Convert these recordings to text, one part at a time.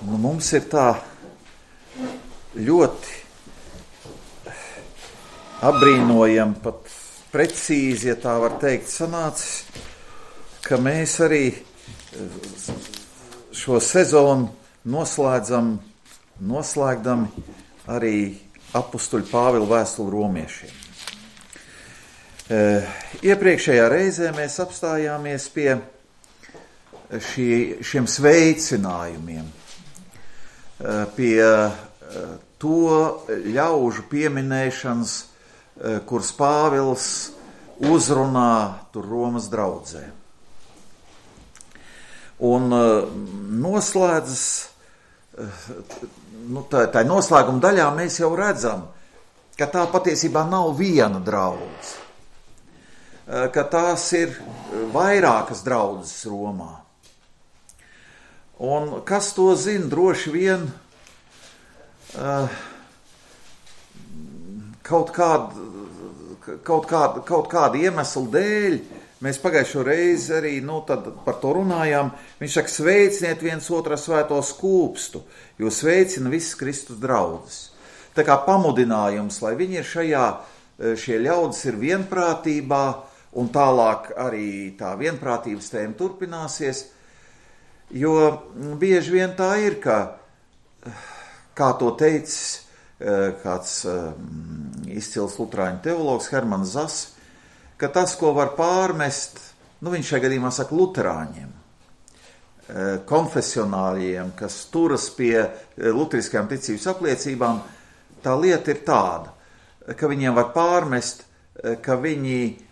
Mums ir tā ļoti apbrīnojami, pat precīzi, ja tā var teikt, sanācis, ka mēs arī šo sezonu noslēgdami arī apustuļa Pāvila vēstuli romiešiem. Iepriekšējā reizē mēs apstājāmies pie šiem sveicinājumiem, pie to ļaužu pieminēšanas, kuras Pāvils uzrunā tur Romas draudzē. Un noslēdzas, tā noslēguma daļā mēs jau redzam, ka tā patiesībā nav viena draudze, ka tās ir vairākas draudzes Romā. Un kas to zina, droši vien kaut kāda iemesla dēļ, mēs pagājušo reizi arī tad par to runājām, viņš saka, sveiciniet viens otru svēto skūpstu, jo sveicina visas Kristus draudzes. Tā kā pamudinājums, lai viņi ir šie ļaudis ir vienprātībā, un tālāk arī tā vienprātības tēma turpināsies, jo bieži vien tā ir, kā to teicis kāds izcils luterāņu teologs Hermans Zas, ka tas, ko var pārmest, viņš šajā gadījumā saka luterāņiem, konfesionāļiem, kas turas pie luteriskajām ticības apliecībām, tā lieta ir tāda, ka viņiem var pārmest, ka viņi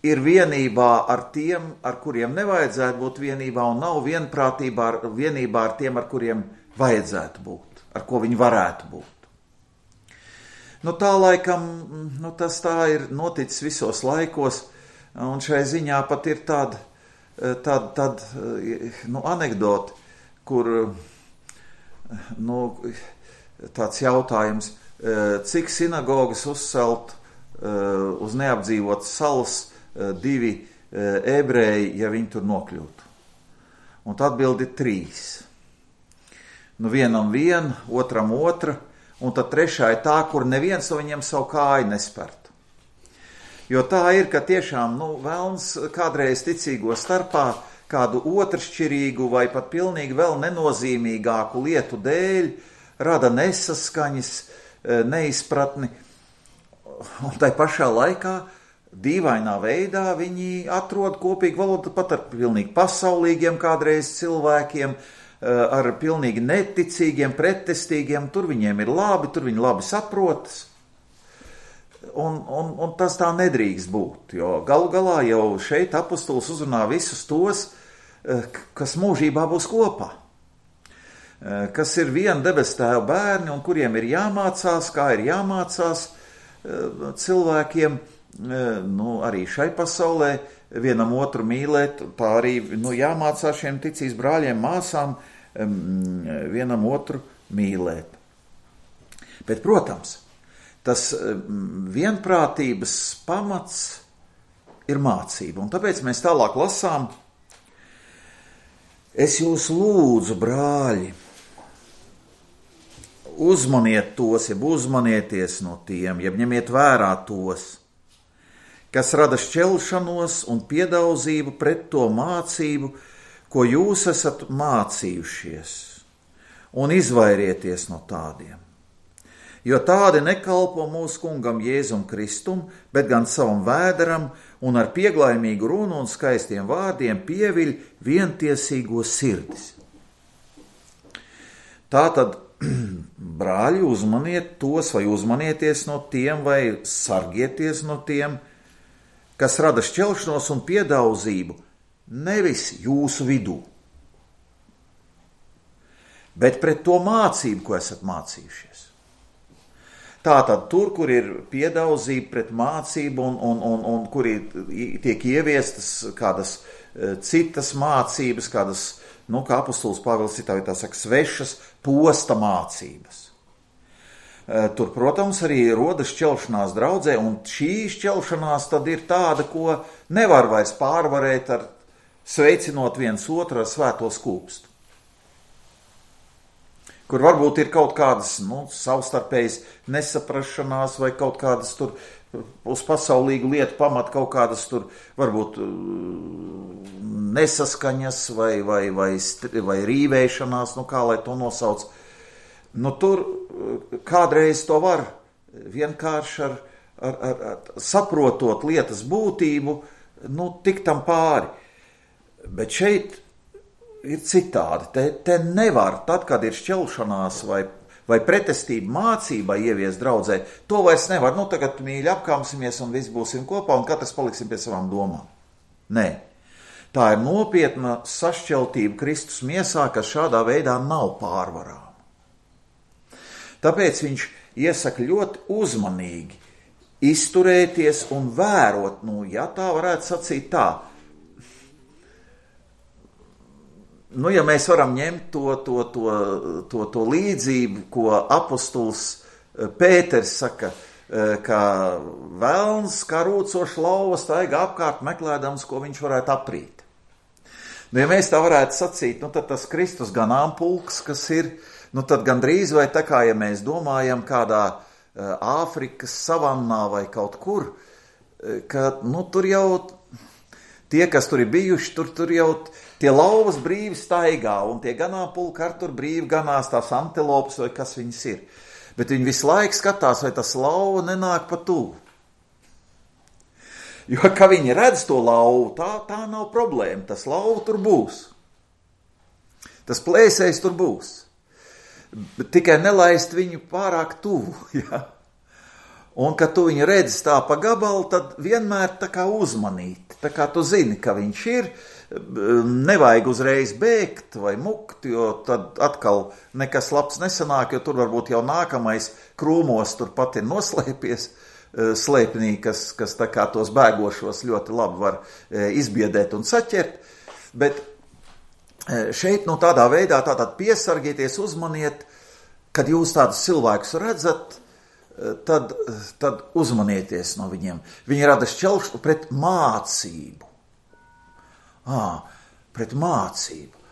ir vienībā ar tiem, ar kuriem nevajadzētu būt vienībā, un nav vienībā ar tiem, ar kuriem vajadzētu būt, ar ko viņi varētu būt. Tā laikam, tas tā ir noticis visos laikos, un šai ziņā pat ir tāda anekdoti, kur tāds jautājums, cik sinagogas uzcelt uz neapdzīvotas salas 2 ebreji, ja viņi tur nokļūtu. Un tā atbildi 3. Vienam viena, otram otra, un tad trešā ir tā, kur neviens no viņiem savu kāju nespertu. Jo tā ir, ka tiešām velns kādreiz ticīgo starpā kādu otršķirīgu vai pat pilnīgi vēl nenozīmīgāku lietu dēļ rada nesaskaņas, neizpratni, un tai pašā laikā dīvainā veidā viņi atrod kopīgu valodu pat ar pilnīgi pasaulīgiem kādreiz cilvēkiem, ar pilnīgi neticīgiem, pretestīgiem, tur viņiem ir labi, tur viņi labi saprotas. Un tas tā nedrīkst būt, jo galu galā jau šeit apustulis uzrunā visus tos, kas mūžībā būs kopā, kas ir viena debesu Tēva bērni un kuriem ir jāmācās, kā ir jāmācās cilvēkiem, arī šai pasaulē vienam otru mīlēt, tā arī jāmācās šiem ticības brāļiem, māsām vienam otru mīlēt. Bet, protams, tas vienprātības pamats ir mācība, un tāpēc mēs tālāk lasām: es jūs lūdzu, brāļi, uzmaniet tos, jeb uzmanieties no tiem, jeb ņemiet vērā tos, kas rada šķelšanos un piedaudzību pret to mācību, ko jūs esat mācījušies, un izvairieties no tādiem. Jo tādi nekalpo mūsu kungam Jēzum Kristum, bet gan savam vēderam, un ar pieglaimīgu runu un skaistiem vārdiem pieviļ vientiesīgo sirdis. Tātad, brāļi, uzmaniet tos, vai uzmanieties no tiem, vai sargieties no tiem, kas rada šķelšanos un piedaudzību nevis jūsu vidū, bet pret to mācību, ko esat mācījušies. Tātad tur, kur ir piedaudzība pret mācību un kur tiek ieviestas kādas citas mācības, kādas, kā apustulis Pāvils citā vietā saka, svešas posta mācības. Tur, protams, arī rodas šķelšanās draudzē, un šī šķelšanās tad ir tāda, ko nevar vairs pārvarēt ar sveicinot viens otru ar svēto skūpstu. kur varbūt ir kaut kādas savstarpējas nesaprašanās vai kaut kādas tur uz pasaulīgu lietu pamat kaut kādas tur varbūt nesaskaņas vai rīvēšanās, kā lai to nosauc. Tur kādreiz to var vienkārši ar saprotot lietas būtību, tikt tam pāri. Bet šeit ir citādi. Te nevar, tad, kad ir šķelšanās vai pretestība mācībai ieviest draudzē, to vairs nevar. Tagad mīļi apkāmsimies un visi būsim kopā un katrs paliksim pie savām domām. Nē. Tā ir nopietna sašķeltība Kristus miesā, kas šādā veidā nav pārvarāma. Tāpēc viņš iesaka ļoti uzmanīgi izturēties un vērot, ja tā varētu sacīt tā. Ja mēs varam ņemt to līdzību, ko apostuls Pēters saka, ka velns kā rūcoša lauva staigā apkārt meklēdams, ko viņš varētu aprīt. Ja mēs tā varētu sacīt, tad tas Kristus ganāmpulks, kas ir, tad gandrīz vai tā kā, ja mēs domājam kādā Āfrikas savannā vai kaut kur, ka tur jau tie, kas tur ir bijuši, tur jau tie lauvas brīvi staigā, un tie ganāmpulki ar tur brīvi ganās tās antilopas vai kas viņas ir. Bet viņi visu laiku skatās, vai tas lauva nenāk pa tuvu. Jo, ka viņi redz to lauvu, tā nav problēma. Tas lauva tur būs. Tas plēsējs tur būs. Bet tikai nelaist viņu pārāk tuvu. Ja? Un, kad tu viņu redzi tā pa gabalu, tad vienmēr tā kā uzmanīt. Tā kā tu zini, ka viņš ir, nevajag uzreiz bēgt vai mukt, jo tad atkal nekas labs nesanāk, jo tur varbūt jau nākamais krūmos turpat ir noslēpies slēpnī, kas tā kā tos bēgošos ļoti labi var izbiedēt un saķert. Bet šeit tādā veidā tātad piesargieties, uzmaniet, kad jūs tādus cilvēkus redzat, tad uzmanieties no viņiem. Viņi rada šķelšu pret mācību. Pret mācību.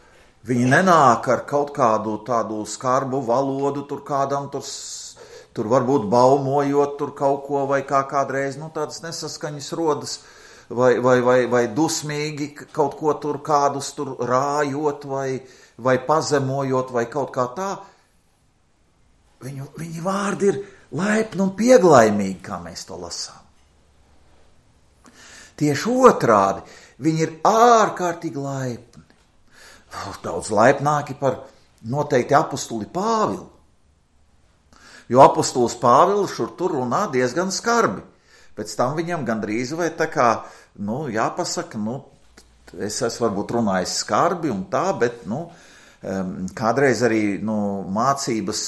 Viņi nenāk ar kaut kādu tādu skarbu valodu, tur kādam tur varbūt baumojot tur kaut ko, vai kā kādreiz, tādas nesaskaņas rodas, vai dusmīgi kaut ko tur kādus tur rājot, vai pazemojot, vai kaut kā tā. Viņi vārdi ir laipni un pieglaimīgi, kā mēs to lasām. Tieši otrādi, viņi ir ārkārtīgi laipni. Daudz laipnāki par noteikti apostuli Pāvilu. Jo apostulis Pāvils šur tur runā diezgan skarbi. Pēc tam viņam gandrīz vai tā kā, jāpasaka, es esmu varbūt runājis skarbi un tā, bet, kādreiz arī mācības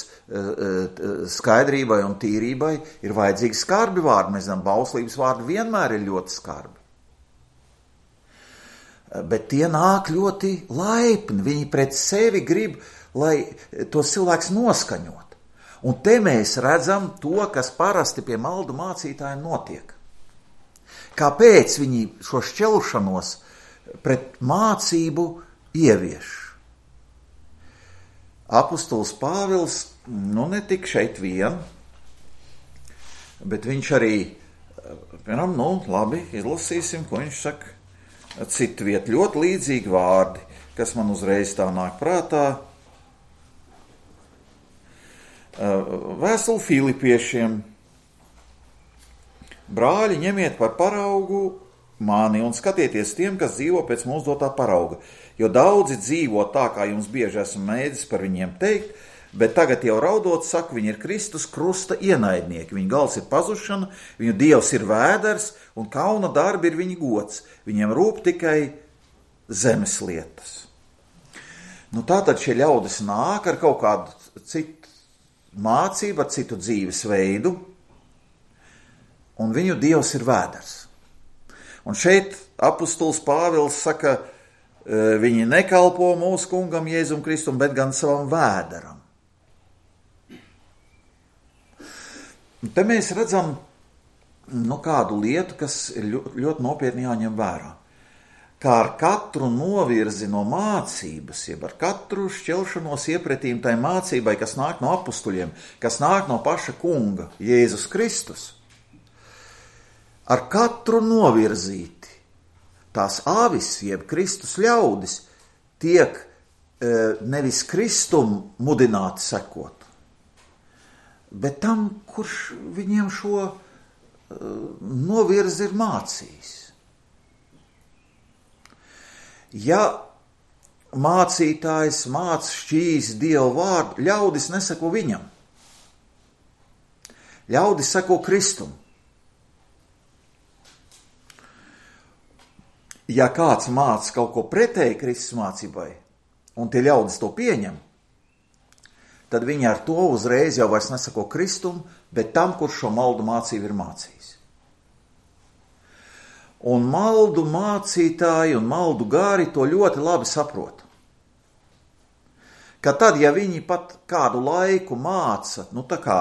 skaidrībai un tīrībai ir vajadzīgi skarbi vārdi. Mēs zinām, bauslības vārdi vienmēr ir ļoti skarbi. Bet tie nāk ļoti laipni. Viņi pret sevi grib, lai tos cilvēks noskaņot. Un te mēs redzam to, kas parasti pie maldu mācītājiem notiek. Kāpēc viņi šo šķelšanos pret mācību ievieš? Apostols Pāvils, ne tik šeit vien, bet viņš arī, piemēram, labi, izlasīsim, ko viņš saka. Citu vietu ļoti līdzīgi vārdi, kas man uzreiz tā nāk prātā. Vēstule Filipiešiem. Brāļi, ņemiet par paraugu mani un skatieties tiem, kas dzīvo pēc mūsu dotā parauga. Jo daudzi dzīvo tā, kā jums bieži esmu mēdzis par viņiem teikt, bet tagad jau raudot saku, viņi ir Kristus krusta ienaidnieki. Viņa gals ir pazušana, viņu dievs ir vēders un kauna darbi ir viņa gods. Viņiem rūp tikai zemes lietas. Tātad šie ļaudis nāk ar kaut kādu citu mācību, ar citu dzīves veidu, un viņu dievs ir vēders. Un šeit apostols Pāvils saka, viņi nekalpo mūsu kungam Jēzum Kristum, bet gan savam vēderam. Te mēs redzam kādu lietu, kas ir ļoti nopietni jāņem vērā. kā ar katru novirzi no mācības, jeb ar katru šķelšanos iepretīm tai mācībai, kas nāk no apustuļiem, kas nāk no paša kunga, Jēzus Kristus, ar katru novirzīti tās avis, jeb Kristus ļaudis, tiek nevis Kristum mudināti sekot, bet tam, kurš viņiem šo novirzi ir mācījis. Ja mācītājs māca šķīs Dievu vārdu, ļaudis neseko viņam. Ļaudis seko Kristum. Ja kāds māca kaut ko pretēji Kristus mācībai, un tie ļaudis to pieņem, tad viņi ar to uzreiz jau vairs nesako Kristum, bet tam, kurš šo maldu mācību ir mācījis. Un maldu mācītāji un maldu gāri to ļoti labi saprot. Ka tad, ja viņi pat kādu laiku māca, tā kā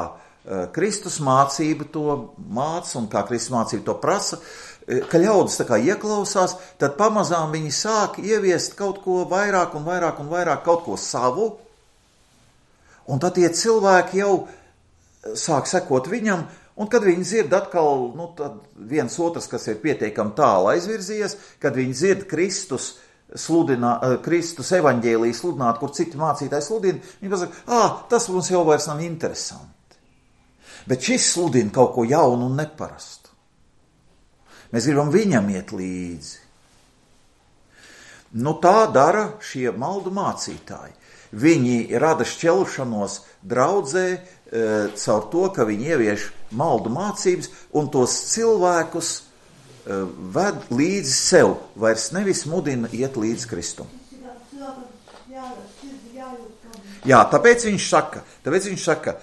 Kristus mācība to māca un kā Kristus mācība to prasa, ka ļaudis tā kā ieklausās, tad pamazām viņi sāk ieviest kaut ko vairāk un vairāk un vairāk, kaut ko savu, un tad tie cilvēki jau sāk sekot viņam, un kad viņi dzird atkal, tad viens otrs, kas ir pietiekami tālu aizvirzījies, kad viņi dzird Kristus evaņģēliju sludināt, kur citi mācītāji sludina, viņi pasaka, tas mums jau vairs nav interesanti. Bet šis sludina kaut ko jaunu un neparastu. Mēs gribam viņam iet līdzi. Tā dara šie maldu mācītāji. Viņi rada šķelšanos draudzē caur to, ka viņi ievieš maldu mācības un tos cilvēkus ved līdzi sev, vairs nevis mudina iet līdz Kristum. Jā, tāpēc viņš saka,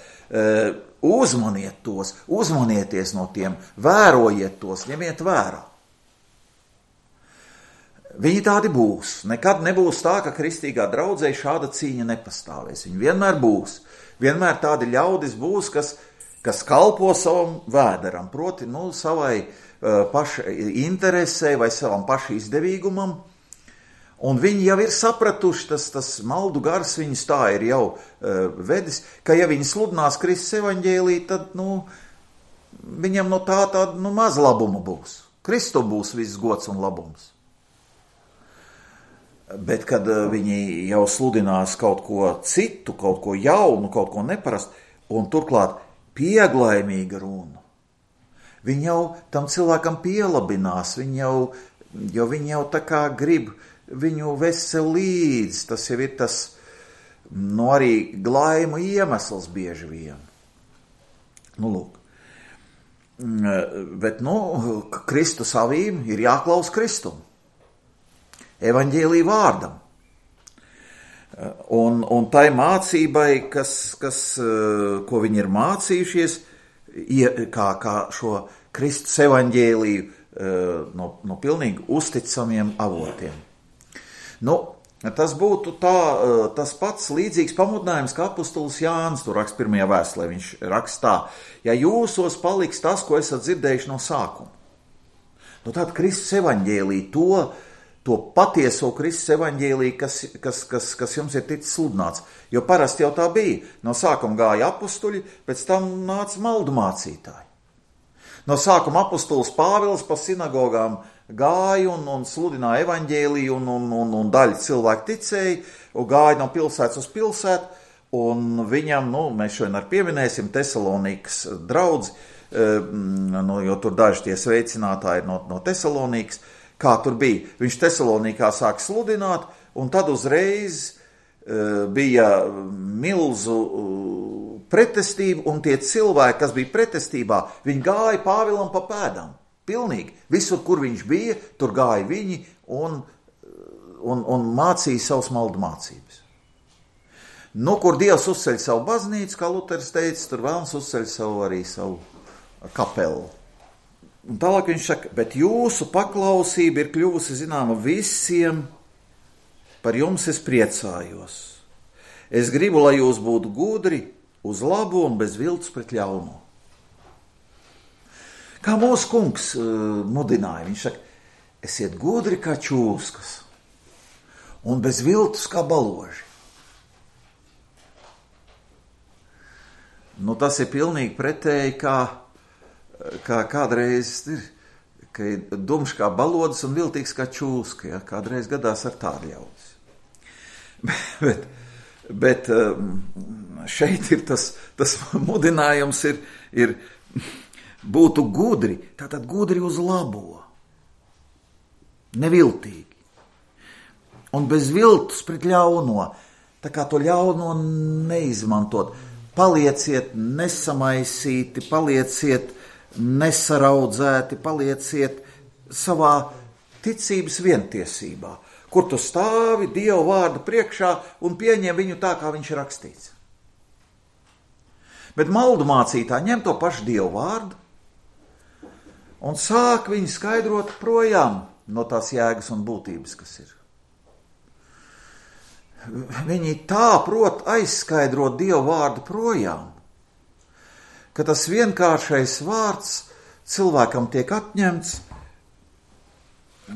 uzmaniet tos, uzmanieties no tiem, vērojiet tos, ņemiet vērā. Viņi tādi būs. Nekad nebūs tā, ka kristīgā draudzē šāda cīņa nepastāvēs. Viņi vienmēr būs. Vienmēr tādi ļaudis būs, kas kalpo savam vēderam, proti savai paša interesē vai savam paša izdevīgumam. Un viņi jau ir sapratuši, tas maldu gars viņus tā ir jau vedis, ka ja viņi sludinās Kristus evaņģēliju, tad viņam no tā maz labuma būs. Kristum būs viss gods un labums. Bet, kad viņi jau sludinās kaut ko citu, kaut ko jaunu, kaut ko neparastu, un turklāt pieglaimīga runa, viņi jau tam cilvēkam pielabinās, viņi jau tā kā grib viņu vest sev līdzi, tas jau ir tas, arī glaimu iemesls bieži vien. Lūk. Bet, Kristus avīm ir jāklaus Kristum. Evaņģēlija vārdam. Un tai mācībai, ko viņi ir mācījušies, kā šo Kristus evaņģēliju no pilnīgi uzticamiem avotiem. Tas būtu tas pats līdzīgs pamudinājums, kā apustulis Jānis tur raksta pirmajā vēstulē. Viņš raksta tā, ja jūsos paliks tas, ko esat dzirdējuši no sākuma. Tad Kristus evaņģēlija to patieso Kristus evaņģēliju, kas jums ir ticis sludināts. Jo parasti jau tā bija. No sākuma gāja apustuļi, pēc tam nāca maldu mācītāji. No sākuma apustulis Pāvils pa sinagogām gāja un sludināja evaņģēliju un daļa cilvēku ticēja, un gāja no pilsētas uz pilsētu, un viņam, mēs šodien arī pieminēsim Tesalonikas draudzi, jo tur daži tie sveicinātāji no Tesalonikas. Kā tur bija? Viņš Tesalonikā sāk sludināt, un tad uzreiz bija milzu pretestība, un tie cilvēki, kas bija pretestībā, viņi gāja Pāvilam pa pēdām. Pilnīgi. Visur, kur viņš bija, tur gāja viņi un mācīja savus maldu mācības. Kur Dievs uzceļ savu baznīcu, kā Luters teica, tur vēlams uzceļ savu kapelu. Un tālāk viņš saka, bet jūsu paklausība ir kļuvusi zināma visiem, par jums es priecājos. Es gribu, lai jūs būtu gudri, uz labu un bez viltus pret ļauno. Kā mūsu kungs mudināja, viņš saka, esiet gudri kā čūskas un bez viltus kā baloži. Nu, tas ir pilnīgi pretēji, kā kādreiz ir, ka ir dumšs kā balodis un viltīgs kā čūska. Ja? Kādreiz gadās ar tādu ļaudis. Bet šeit ir tas mudinājums ir būtu gudri, tātad gudri uz labo, neviltīgi. Un bez viltus pret ļauno, tā kā to ļauno neizmantot. Palieciet nesamaisīti, palieciet nesaraudzēti, palieciet savā ticības vientiesībā, kur tu stāvi Dieva vārdu priekšā un pieņem viņu tā, kā viņš ir rakstīts. Bet maldu mācītāji ņem to pašu Dieva vārdu un sāk viņu skaidrot projām no tās jēgas un būtības, kas ir. Viņi tā prot aizskaidrot Dieva vārdu projām, ka tas vienkāršais vārds cilvēkam tiek atņemts,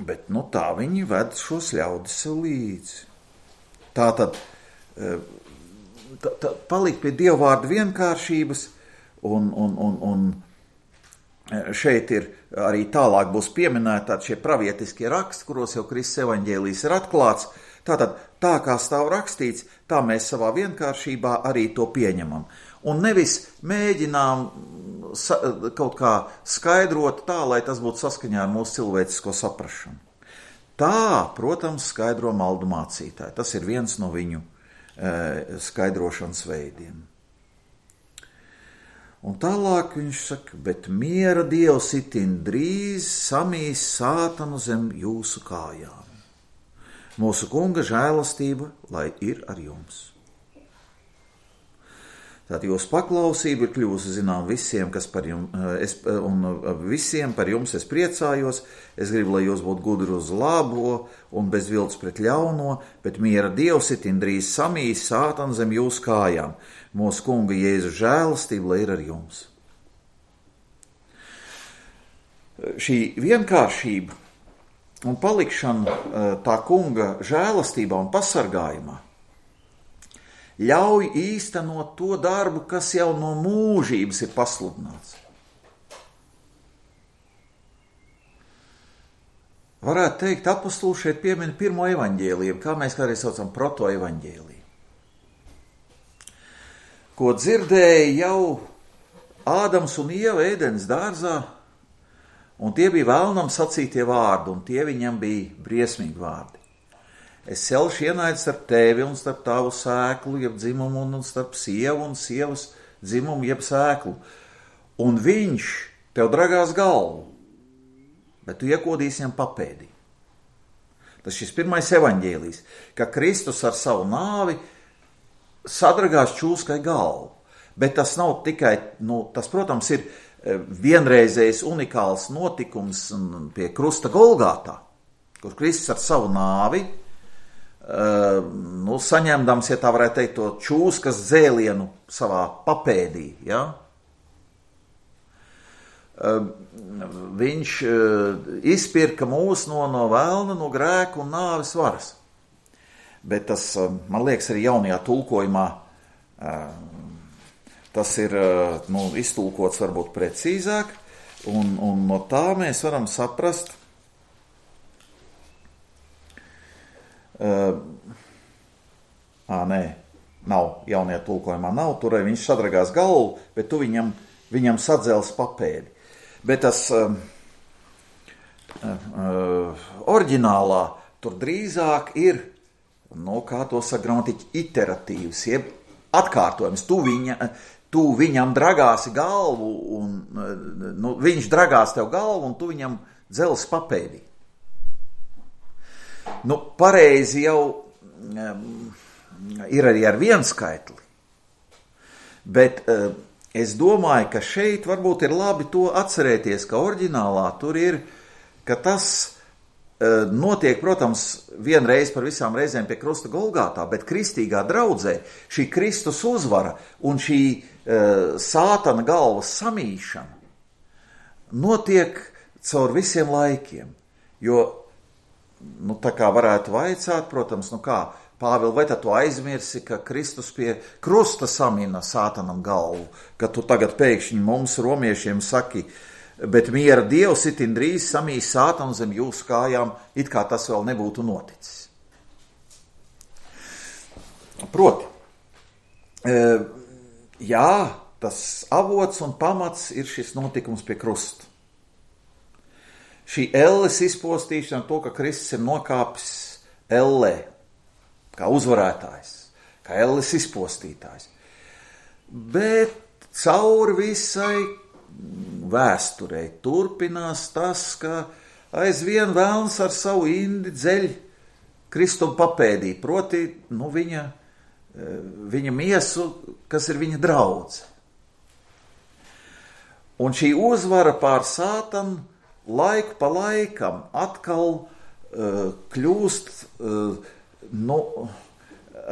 bet tā viņi ved šos ļaudis sev līdzi. Tātad palikt pie Dieva vārdu vienkāršības, un šeit ir arī tālāk būs pieminēti šie pravietiskie raksti, kuros jau Kristus evaņģēlijs ir atklāts. Tātad, tā kā stāv rakstīts, tā mēs savā vienkāršībā arī to pieņemam. Un nevis mēģinām kaut kā skaidrot tā, lai tas būtu saskaņā ar mūsu cilvēcisko saprašanu. Tā, protams, skaidro maldu mācītāji. Tas ir viens no viņu skaidrošanas veidiem. Un tālāk viņš saka, bet miera Dievs itin drīz samīs sātanu zem jūsu kājām. Mūsu kunga žēlastība, lai ir ar jums. Tātad jūsu paklausība ir kļūsi zinām visiem, kas par jums, un visiem par jums es priecājos. Es gribu, lai jūs būtu gudri uz labo un bez viltus pret ļauno, bet miera Dievs itin drīz samīs sātanu zem jūsu kājām. Mūsu kunga Jēzus žēlastība, lai ir ar jums. Šī vienkāršība un palikšana tā kunga žēlastībā un pasargājumā ļauj īstenot to darbu, kas jau no mūžības ir pasludināts. Varētu teikt, apostuli šeit piemin pirmo evaņģēliju, kā mēs kādreiz saucam protoevaņģēliju, ko dzirdēja jau Ādams un Ieva Ēdenes dārzā, un tie bija vēlnam sacītie vārdi, un tie viņam bija briesmīgi vārdi. Es celšu ienaidu starp tevi un starp tavu sēklu, jeb dzimumu, un starp sievu un sievas dzimumu, jeb sēklu. Un viņš tev dragās galvu, bet tu iekodīsi viņam papēdī. Tas šis pirmais evaņģēlijs, ka Kristus ar savu nāvi sadragās čūskai galvu. Bet tas nav tikai, tas, protams, ir vienreizējs unikāls notikums pie krusta Golgātā, kur Kristus ar savu nāvi, saņemdams, ja tā varētu teikt, to čūskas dzēlienu savā papēdī, ja? Viņš izpirka mūs no vēlna, no grēka un nāves varas. Bet tas, man liekas, arī jaunajā tulkojumā tas ir iztulkots varbūt precīzāk, un no tā mēs varam saprast, nav, jaunajā tulkojumā nav, tur viņš sadragās galvu, bet tu viņam sadzels papēdi. Bet tas oriģinālā tur drīzāk ir, kā to saka gramatiķi, iteratīvs, jeb atkārtojums. Tu viņam dragāsi galvu, un viņš dragās tev galvu, un tu viņam dzels papēdī. Pareizi jau ir arī ar vienskaitli, bet es domāju, ka šeit varbūt ir labi to atcerēties, ka oriģinālā tur ir, ka tas notiek, protams, vienreiz par visām reizēm pie krusta Golgātā, bet kristīgā draudzē šī Kristus uzvara un šī sātana galvas samīšana notiek caur visiem laikiem. Jo, tā kā varētu vaicāt, protams, kā, Pāvil, vai tad tu aizmirsi, ka Kristus pie krusta samina sātanam galvu, ka tu tagad pēkšņi mums, romiešiem, saki, bet miera Dievs itin drīz samīs sātanu zem jūsu kājām, it kā tas vēl nebūtu noticis. Proti, jā, tas avots un pamats ir šis notikums pie krusta. Šī elles izpostīšana, to, ka Kristus ir nokāpis ellē, kā uzvarētājs, kā elles izpostītājs. Bet cauri visai vēsturei turpinās tas, ka aizvien vēlns ar savu indi dzeļ Kristum papēdī, proti, viņa miesu, kas ir viņa draudze. Un šī uzvara pār sātanu laiku pa laikam atkal kļūst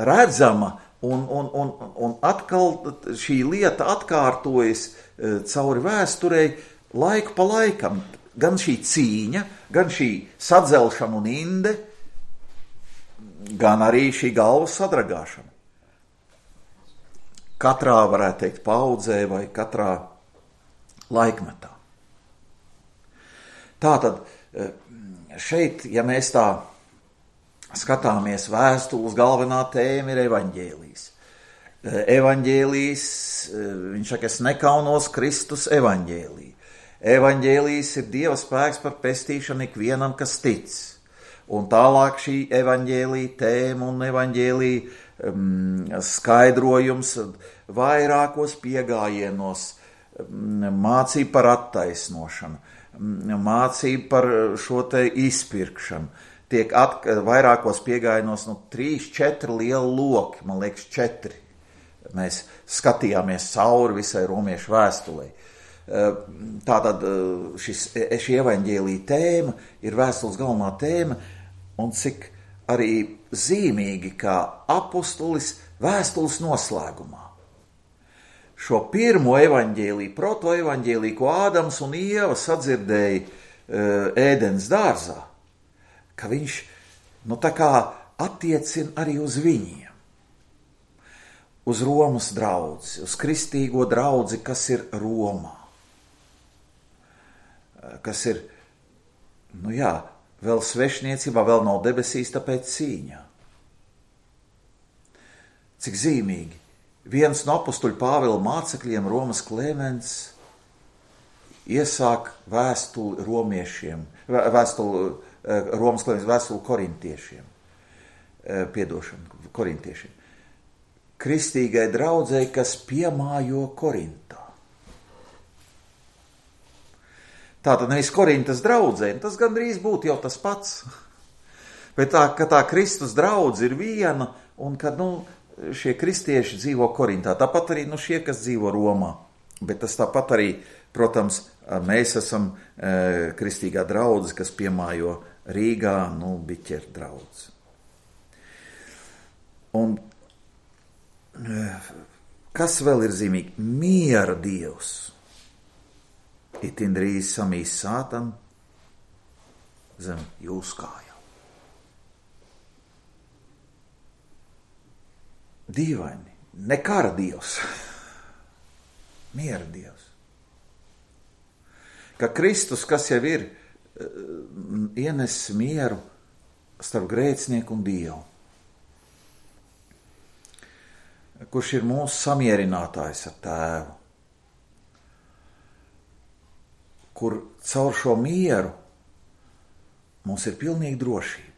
redzama, un atkal šī lieta atkārtojas cauri vēsturei laiku pa laikam. Gan šī cīņa, gan šī sadzelšana un inde, gan arī šī galvas sadragāšana. Katrā, varētu teikt, paudzē vai katrā laikmetā. Tātad šeit, ja mēs tā skatāmies vēstules, galvenā tēma ir evaņģēlijs. Evaņģēlijs, viņš saka, es nekaunos Kristus evaņģēlī. Evaņģēlijs ir Dieva spēks par pestīšanu ikvienam, kas tic. Un tālāk šī evaņģēlī tēma un evaņģēlī skaidrojums vairākos piegājienos, mācība par attaisnošanu, mācība par šo te izpirkšanu. Tiek vairākos piegājienos 3-4 lieli loki, man liekas 4. Mēs skatījāmies cauri visai romiešu vēstulei. Tātad šī evaņģēlī tēma ir vēstules galvenā tēma, un cik arī zīmīgi, kā apustulis vēstules noslēgumā. Šo pirmo evaņģēlī, protoevaņģēlī, ko Ādams un Ieva sadzirdēja Ēdens dārzā, ka viņš tā kā attiecina arī uz viņiem, uz Romas draudzi, uz kristīgo draudzi, kas ir Romā, kas ir, vēl svešniecībā, vēl nav debesīs, tāpēc cīņā. Cik zīmīgi. Viens no apustuļu Pāvila mācekļiem, Romas Klemens, iesāk vēstuli romiešiem, Romas Klemens vēstuli korintiešiem, korintiešiem. Kristīgai draudzei, kas piemājo Korintā. Tātad nevis Korintas draudzei, tas gandrīz būtu jau tas pats, bet tā Kristus draudze ir viena, un kad, šie kristieši dzīvo Korintā, tāpat arī šie, kas dzīvo Romā, bet tas tāpat arī, protams, mēs esam kristīgā draudze, kas piemājo Rīgā, biķeru draudze. Un kas vēl ir zīmīgi? Miera Dievs itin drīz samīs sātanu zem jūsu kājām. Dīvaini, ne kara Dievs, miera Dievs. Ka Kristus, kas jau ir, ienes mieru starp grēcinieku un Dievu, kurš ir mūsu samierinātājs ar Tēvu, kur caur šo mieru mums ir pilnīga drošība.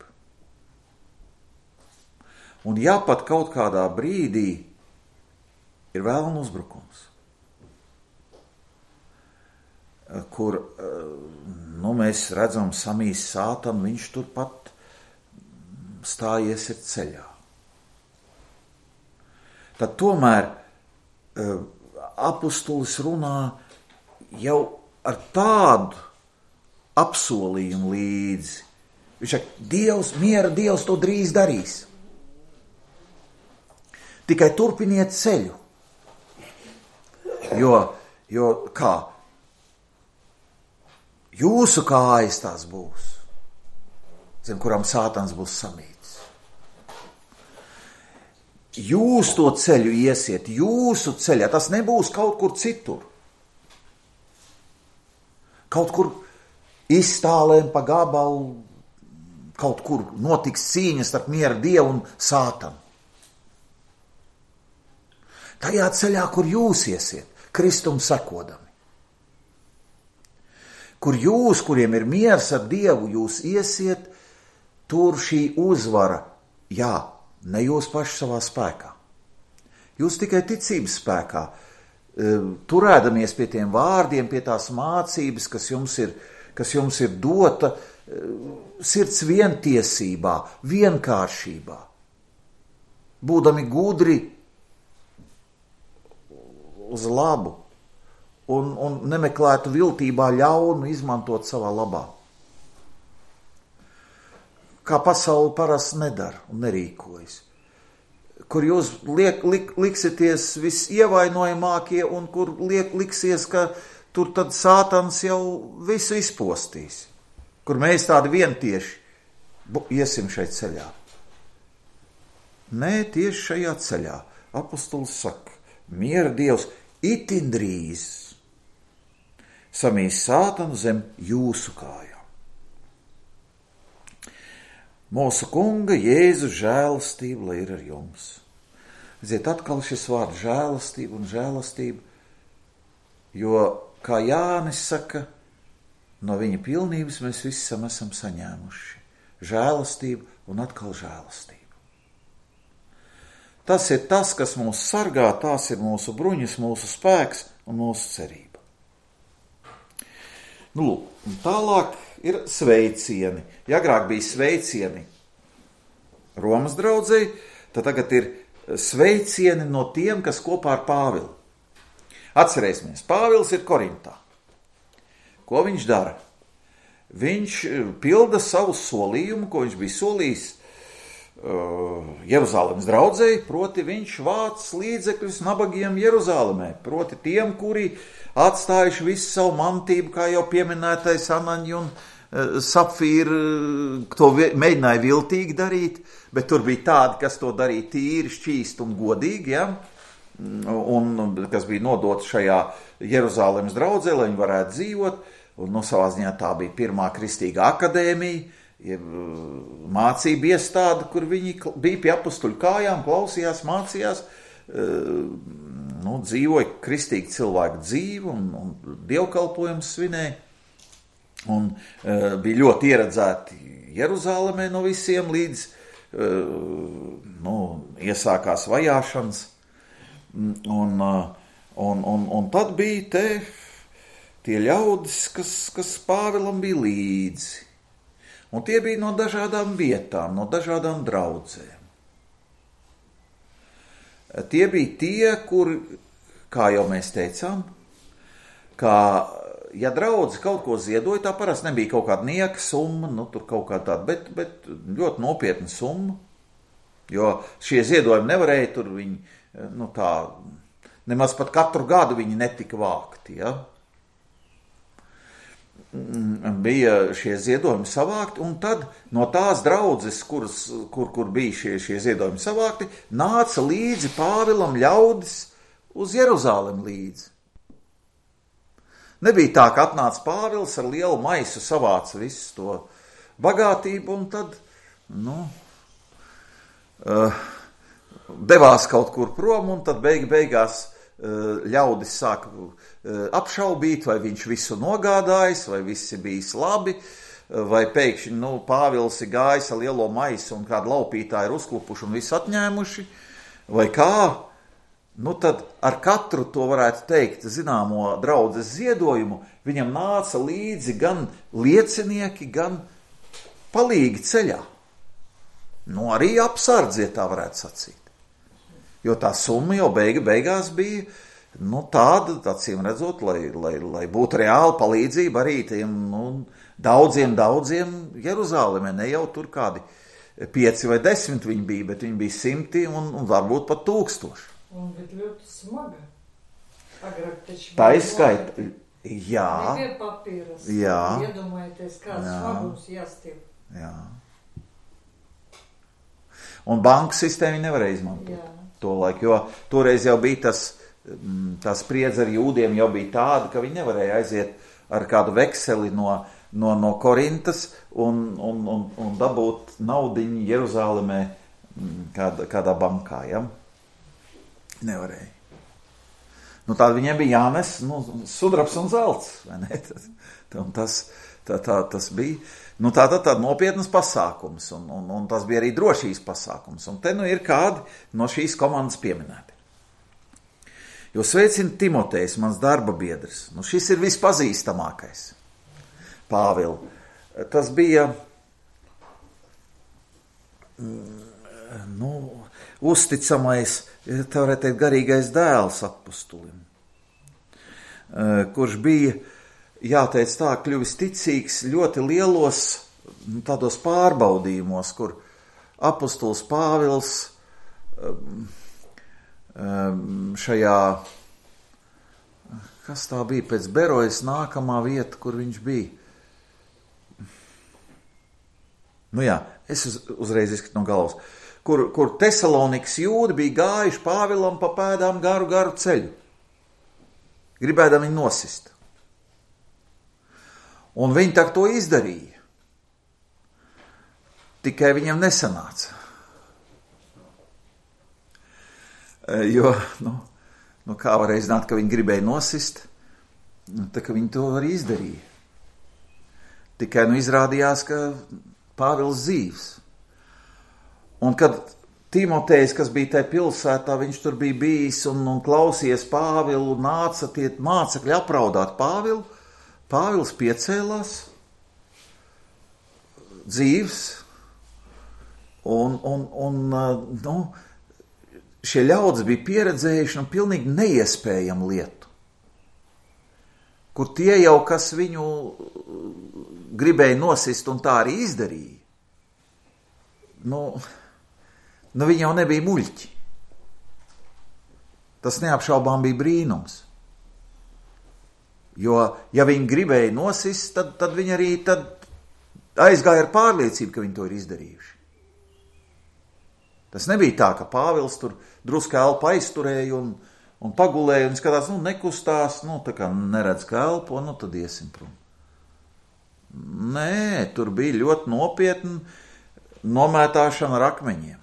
Un ja pat kaut kādā brīdī ir vēlna uzbrukums, kur mēs redzam samīs sātanu, viņš turpat stājies ir ceļā. Tad tomēr apustulis runā jau ar tādu apsolījumu līdzi. Viņš saka, miera Dievs to drīz darīs. Tikai turpiniet ceļu. Jo kā? Jūsu kājas tās būs. zem kurām Sātans būs samīts. Jūs to ceļu iesiet, jūsu ceļā, tas nebūs kaut kur citur. Kaut kur iztālēm pa gabalu, kaut kur notiks cīņas starp miera Dievu un Sātanu. Tajā ceļā, kur jūs iesiet, Kristum sekodami. Kur jūs, kuriem ir miers ar Dievu, jūs iesiet, tur šī uzvara, jā, ne jūs paši savā spēkā. Jūs tikai ticības spēkā, turēdamies pie tiem vārdiem, pie tās mācības, kas jums ir dota sirds vientiesībā, vienkāršībā, būdami gudri uz labu un nemeklētu viltībā ļaunu izmantot savā labā. Kā pasaule parasti nedara un nerīkojas. Kur jūs liksieties visievainojamākie un kur liksies, ka tur tad Sātans jau visu izpostīs. Kur mēs tādi vientieši iesim šeit ceļā. Nē, tieši šajā ceļā. Apostols saka, miera Dievs itin drīz samīs Sātanu zem jūsu kājām. Mūsu Kunga Jēzus žēlastība, lai ir ar jums. Ziet, atkal šis vārds žēlastība un žēlastība, jo, kā Jānis saka, no viņa pilnības mēs visam esam saņēmuši. Žēlastību un atkal žēlastību. Tas ir tas, kas mūs sargā, tās ir mūsu bruņas, mūsu spēks un mūsu cerība. Tālāk ir sveicieni. Ja agrāk bija sveicieni Romas draudzei, tad tagad ir sveicieni no tiem, kas kopā ar Pāvilu. Atcerēsimies, Pāvils ir Korintā. Ko viņš dara? Viņš pilda savu solījumu, ko viņš bija solījis Jeruzalemes draudzei, proti viņš vāc līdzekļus nabagiem Jeruzalemē, proti tiem, kuri atstājuši visu savu mantību, kā jau pieminētais Anaņa un Sapfīra, to mēģināja viltīgi darīt, bet tur bija tādi, kas to darīja tīri, šķīsti un godīgi, ja? Un kas bija nodots šajā Jeruzalemes draudzē, lai viņi varētu dzīvot, un savā ziņā tā bija pirmā kristīgā akadēmija, mācība iestāde, kur viņi bija pie apustuļu kājām, klausījās, mācījās, dzīvoja kristīgi cilvēku dzīvi un dievkalpojumus svinēja, un bija ļoti ieredzēti Jeruzalemē no visiem, līdz iesākās vajāšanas, un tad bija tie ļaudis, kas Pāvilam bija līdzi. Un tie bija no dažādām vietām, no dažādām draudzēm. Tie bija tie, kur, kā jau mēs teicām, ka, ja draudze kaut ko ziedoja, tā parasti nebija kaut kāda nieka summa, tur kaut kā tāda, bet ļoti nopietna summa, jo šie ziedojumi nevarēja tur viņi, nemaz pat katru gadu viņi netika vākti, ja? Bija šie ziedojumi savākti, un tad no tās draudzes, kur bija šie ziedojumi savākti, nāca līdzi Pāvilam ļaudis uz Jeruzalemi līdzi. Nebija tā, ka atnāca Pāvils ar lielu maisu, savāca visu to bagātību, un tad, devās kaut kur prom, un tad beigās ļaudis sāka apšaubīt, vai viņš visu nogādājis, vai viss ir bijis labi, vai pēkšņi, Pāvils ir gājis ar lielo maisu un kādu laupītāju ir uzklupuši un visu atņēmuši, vai kā, tad ar katru to varētu teikt zināmo draudzes ziedojumu, viņam nāca līdzi gan liecinieki, gan palīgi ceļā. Arī apsardzie, tā varētu sacīt. Jo tā summa jau beigās bija tāda, acīm redzot, lai būtu reāla palīdzība arī tiem daudziem Jeruzalemē. Ne jau tur kādi 5 vai 10 viņi bija, bet viņi bija 100 un varbūt pat 1000. Un bija ļoti smaga. Agrāk taču tā izskaita, jā. Nebija papīras. Jā. Iedomājieties, kāds smagums jāstiep. Jā. Un banku sistēmu nevarēja izmantot to laiku, jo toreiz jau bija tā spriedze ar jūdiem jau bija tāda, ka viņi nevarēja aiziet ar kādu vekseli no Korintas un dabūt naudiņu Jeruzālemē kādā bankā, ja? Nevarēja. Nu, tāda viņiem bija jānes, sudrabs un zelts, vai ne? Tas bija, tāda nopietnas pasākums, un tas bija arī drošības pasākums. Un te ir kādi no šīs komandas pieminēti. Jo sveicina Timotejs, mans darba biedrs. Šis ir vispazīstamākais. Pāvils. Tas bija uzticamais, tā varētu teikt, garīgais dēls apostulim, kurš bija, jāteic tā, kļuvis ticīgs ļoti lielos tādos pārbaudījumos, kur apostuls Pāvils šajā, kas tā bija pēc Berojas nākamā vieta, kur viņš bija. Es uzreiz izskatu no galvas. Kur Tesalonikas jūdi bija gājuši Pāvilam pa pēdām garu ceļu. Gribēdam viņu nosist. Un viņi tā to izdarīja. Tikai viņiem nesanāca. Jo, kā varēja zināt, ka viņi gribēja nosist, tā ka viņi to arī izdarīja. Tikai izrādījās, ka Pāvils dzīvs. Un kad Timotejs, kas bija tajā pilsētā, viņš tur bija bijis un klausies Pāvilu, nāca tie mācekļi apraudāt Pāvilu, Pāvils piecēlās, dzīvs, un šie ļaudis bija pieredzējuši pilnīgi neiespējamu lietu, kur tie jau, kas viņu gribēja nosist un tā arī izdarīja, viņi jau nebija muļķi. Tas neapšaubām bija brīnums. Jo, ja viņi gribēja nosist, tad viņi arī aizgāja ar pārliecību, ka viņi to ir izdarījuši. Tas nebija tā, ka Pāvils tur drusku elpu aizturēja un pagulēja un skatās, nekustās, tā kā neredz, ka elpo, tad iesim prom. Nē, tur bija ļoti nopietni nomētāšana ar akmeņiem.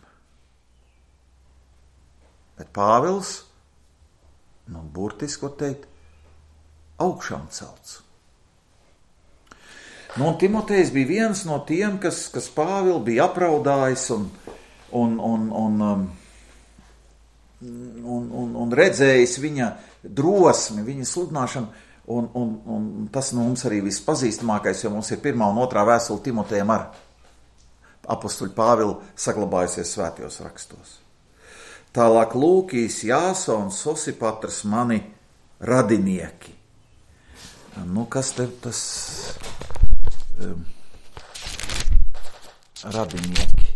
Bet Pāvils, burtiski, ko teikt, augšām celts. Un Timotejs bija viens no tiem, kas Pāvilu bija apraudājis un redzējis viņa drosmi, viņa sludināšanu, un tas mums arī vispazīstamākais, jo mums ir 1. un 2. vēstule Timotejam ar apostuļu Pāvilu saglabājusies svētajos rakstos. Tālāk Lūkijs, Jāsons, Sosipatrs, mani radinieki. Kas te tas radinieki?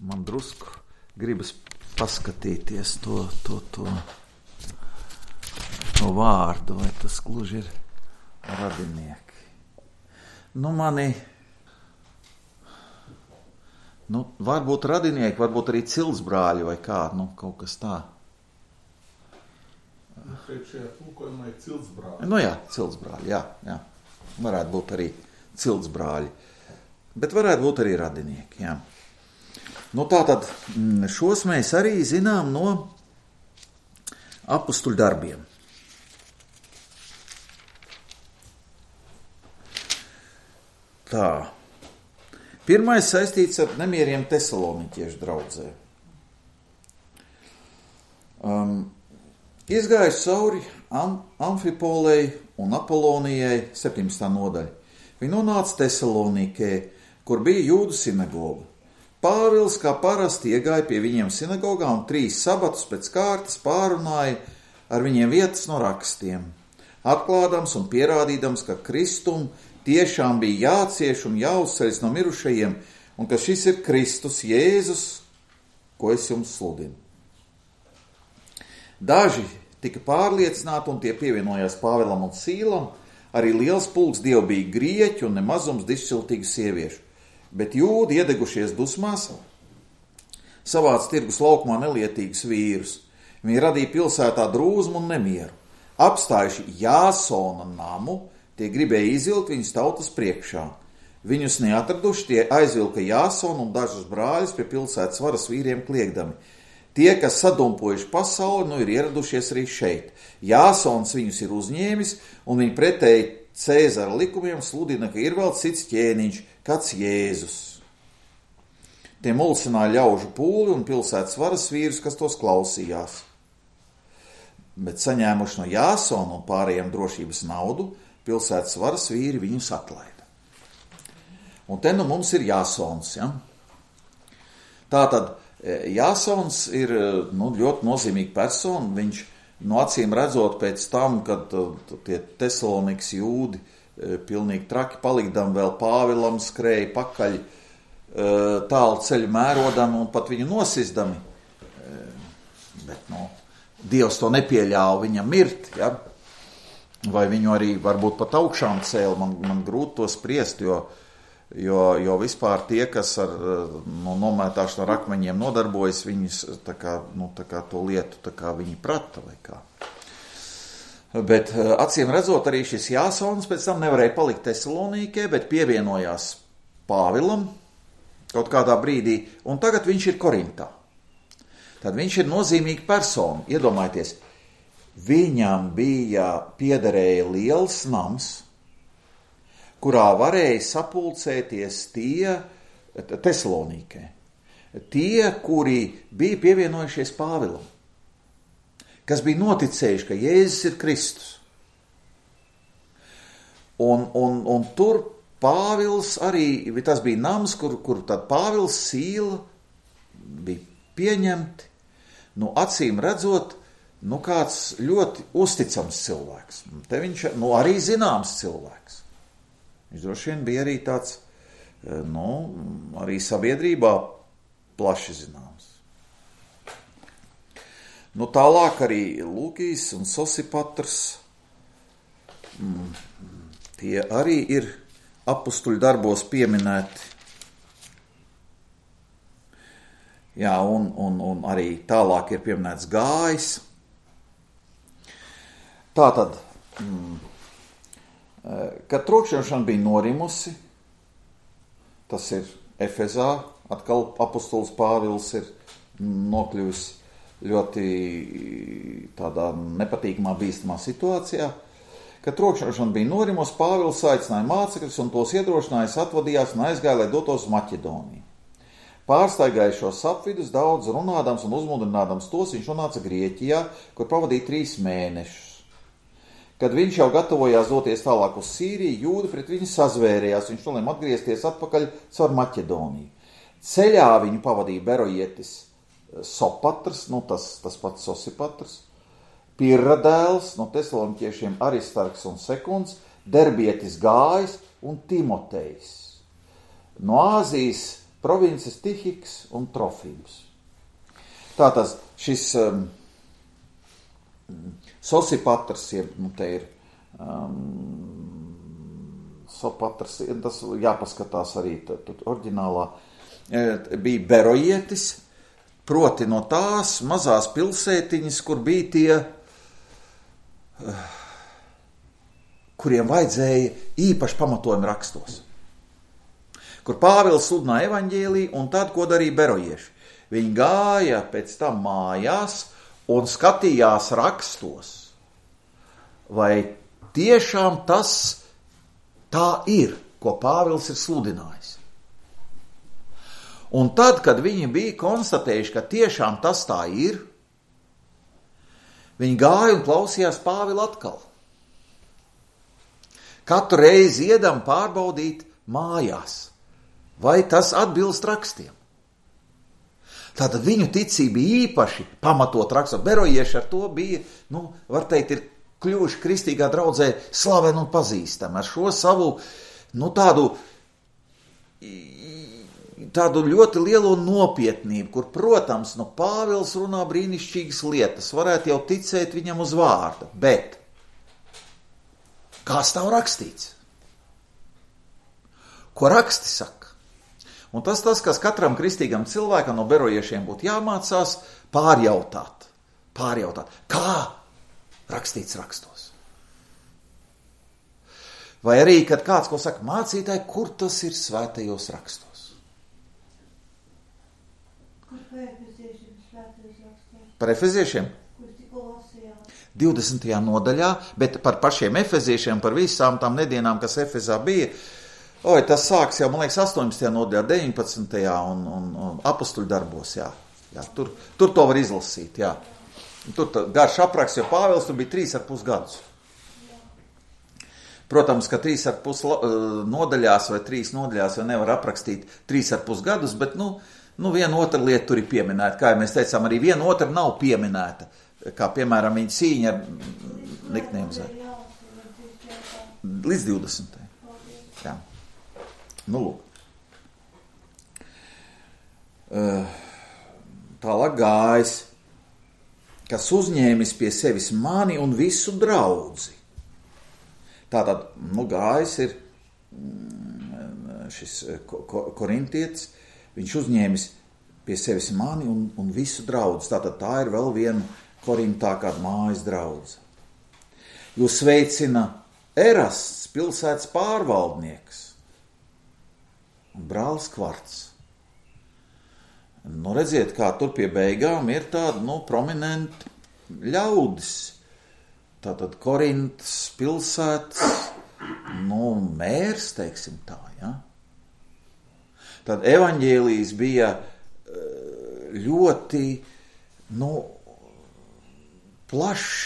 Man drusku gribas paskatīties to vārdu, vai tas gluži ir radinieki. Varbūt radinieki, varbūt arī ciltsbrāļi vai kā, kaut kas tā. Šajā tulkojumā ir ciltsbrāļi. Ciltsbrāļi, jā. Varētu būt arī ciltsbrāļi, bet varētu būt arī radinieki, jā. Tātad šos mēs arī zinām no apostuļu darbiem. Tā. Pirmais saistīts ar nemieriem Tesaloniķiešu draudzē. Izgājis cauri Amfipolei un Apolonijai 17. nodaļa. Viņi nonāca Tesalonikē, kur bija jūdu sinagoga. Pāvils, kā parasti, iegāja pie viņiem sinagogā un 3 sabatus pēc kārtas pārunāja ar viņiem vietas no rakstiem, atklādams un pierādīdams, ka Kristum tiešām bija jācieš un jāuzceļas no mirušajiem, un ka šis ir Kristus Jēzus, ko es jums sludinu. Daži tika pārliecināti, un tie pievienojās Pāvilam un Sīlam, arī liels pulks dievbijīgi grieķu un nemazums dišciltīgu sieviešu, bet jūdi iedegušies dusmās savāca tirgus laukumā nelietīgus vīrus. Viņi radīja pilsētā drūzmu un nemieru. Apstājuši Jāsona namu, tie gribēja izvilkt viņus tautas priekšā. Viņus neatraduši, tie aizvilka Jāsonu un dažus brāļus pie pilsētas varas vīriem kliegdami. Tie, kas sadumpojuši pasauli, nu ir ieradušies arī šeit. Jāsons viņus ir uzņēmis, un viņi pretēji Cēzara likumiem sludina, ka ir vēl cits ķēniņš, kāds Jēzus. Tie mulsināja ļaužu pūli un pilsētas varas vīrus, kas tos klausījās. Bet saņēmuši no Jāsona un pārējiem drošības naudu, pilsētas varas vīri viņus atlaida. Un te nu mums ir Jāsons. Ja? Tātad Jāsons ir ļoti nozīmīga persona. Viņš acīm redzot pēc tam, kad tie Tesalonikas jūdi pilnīgi traki palikdam vēl Pāvilam skrēja pakaļ tālu ceļu mērodam un pat viņu nosisdami. Bet Dievs to nepieļāva viņam mirt, ja? Vai viņu arī varbūt pat augšām cēla, man grūti to spriest, jo vispār tie, kas ar nomētāšanu ar akmeņiem nodarbojas, viņus tā kā to lietu, tā kā viņi prata vai kā. Bet acīm redzot, arī šis Jāsons pēc tam nevarēja palikt Tesalonīkē, bet pievienojās Pāvilam kaut kādā brīdī, un tagad viņš ir Korintā. Tad viņš ir nozīmīga persona. Iedomājieties, viņam piederēja liels nams, kurā varēja sapulcēties tie Tesalonīkē. Tie, kuri bija pievienojušies Pāvilam, kas bija noticējuši, ka Jēzus ir Kristus. Un tur Pāvils arī, tas bija nams, kur tad Pāvils Sīla bija pieņemti, acīm redzot, kāds ļoti uzticams cilvēks. Te viņš arī zināms cilvēks. Viņš droši vien bija arī tāds, arī sabiedrībā plaši zināms. Tālāk arī Lūkijs un Sosipatrs, tie arī ir apustuļu darbos pieminēti. Jā, un arī tālāk ir pieminēts Gājs. Tātad, kad trokšņošana bija norimusi, tas ir Efezā, atkal apustulis Pāvils ir nokļuvis ļoti tādā nepatīkamā, bīstamā situācijā. Kad trokšņošana bija norimusi, Pāvils aicināja mācekļus un tos iedrošinājis atvadījās un aizgāja, lai dotos uz Maķedoniju. Pārstaigāja šos apvidus, daudz runādams un uzmundrinādams tos, viņš nonāca Grieķijā, kur pavadīja 3 mēnešus. Kad viņš jau gatavojās doties tālāk uz Sīriju, jūdi pret viņu sazvērējās, viņš nolēma atgriezties atpakaļ caur Maķedoniju. Ceļā viņu pavadīja Berojietis Sopatrs, tas pats Sosipatrs, Pirra dēls no tesaloniķiešiem Aristarks un Sekunds, Derbietis Gājs un Timotejs. No Āzijas provinces Tihiks un Trofīms. Tātad šis Sosipatrs, te ir Sopatrs, tas jāpaskatās arī oriģinālā, bija Berojietis, proti no tās mazās pilsētiņas, kur bija tie, kuriem vajadzēja īpaši pamatojumi rakstos. Kur Pāvils sludināja evaņģēliju, un tad, ko darīja berojieši. Viņi gāja pēc tam mājās un skatījās rakstos, vai tiešām tas tā ir, ko Pāvils ir sludinājis. Un tad, kad viņi bija konstatējuši, ka tiešām tas tā ir, viņi gāja un klausījās Pāvilu atkal. Katru reizi iedam pārbaudīt mājās, vai tas atbilst rakstiem. Tātad viņu ticība īpaši pamatot rakstot. Berojieši ar to bija, var teikt, ir kļuvuši kristīgā draudzē slaveni un pazīstami. Ar šo savu, tādu ļoti lielo nopietnību, kur, protams, Pāvils runā brīnišķīgas lietas, varētu jau ticēt viņam uz vārda, bet kā stāv rakstīts? Ko raksti saka? Un tas, kas katram kristīgam cilvēkam no berojiešiem būtu jāmācās pārjautāt. Kā rakstīts rakstos? Vai arī, kad kāds ko saka, mācītāji, kur tas ir svētajos rakstos? Kur par efeziešiem svētajos rakstos? Par efeziešiem? Kur tikko lasījām? 20. nodaļā, bet par pašiem efeziešiem, par visām tām nedēļām, kas Efezā bija, tas sāks jau, man liekas, 18. nodaļā, 19. un apostuļu darbos, jā. Tur to var izlasīt, jā. Tur garš apraksts, jo Pāvils tur bija 3,5 gadus. Protams, ka 3,5 nodaļās vai 3 nodaļās jau nevar aprakstīt 3,5 gadus, bet, viena otra lieta tur ir pieminēta. Kā jau mēs teicām, arī viena otra nav pieminēta. Kā, piemēram, viņa cīņa ar Niknēmzē. Līdz 20. Jā. Lūk. Tālāk Gājs, kas uzņēmis pie sevis mani un visu draudzi. Tātad, Gājs ir šis korintietis, viņš uzņēmis pie sevis mani un visu draudzi. Tātad tā ir vēl viena Korintā kāda mājas draudze. Jūs sveicina Erasts, pilsētas pārvaldnieks un brālis Kvarts. Redziet, kā tur pie beigām ir tādi, prominenti ļaudis. Tātad Korintas pilsētas, mērs, teiksim tā, ja? Tad evaņģēlijs bija ļoti, plaši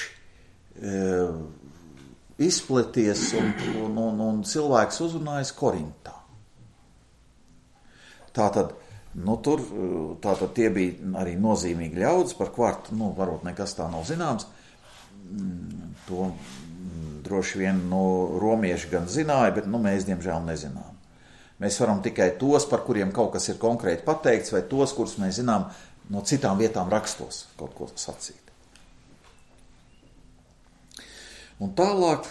izplaties un cilvēks uzrunājas Korintā. Tātad, tātad tie bija arī nozīmīgi ļaudis, par Kvartu, varbūt nekas tā nav zināms. To droši vien romieši gan zināja, bet mēs diemžēl nezinām. Mēs varam tikai tos, par kuriem kaut kas ir konkrēti pateikts, vai tos, kurus mēs zinām no citām vietām rakstos kaut ko sacīt. Un tālāk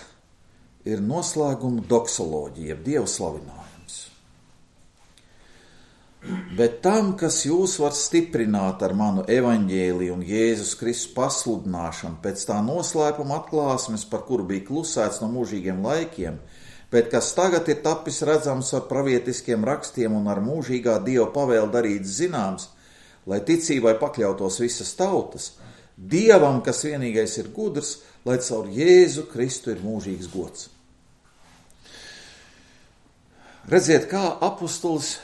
ir noslēguma doksoloģija, Dieva slavinājums. Bet tam, kas jūs var stiprināt ar manu evaņģēliju un Jēzus Kristus pasludināšanu pēc tā noslēpuma atklāsmes, par kuru bija klusēts no mūžīgiem laikiem, bet kas tagad ir tapis redzams ar pravietiskiem rakstiem un ar mūžīgā Dieva pavēli darīts zināms, lai ticībai pakļautos visas tautas, Dievam, kas vienīgais ir gudrs, lai caur Jēzu Kristu ir mūžīgs gods. Redziet, kā apustulis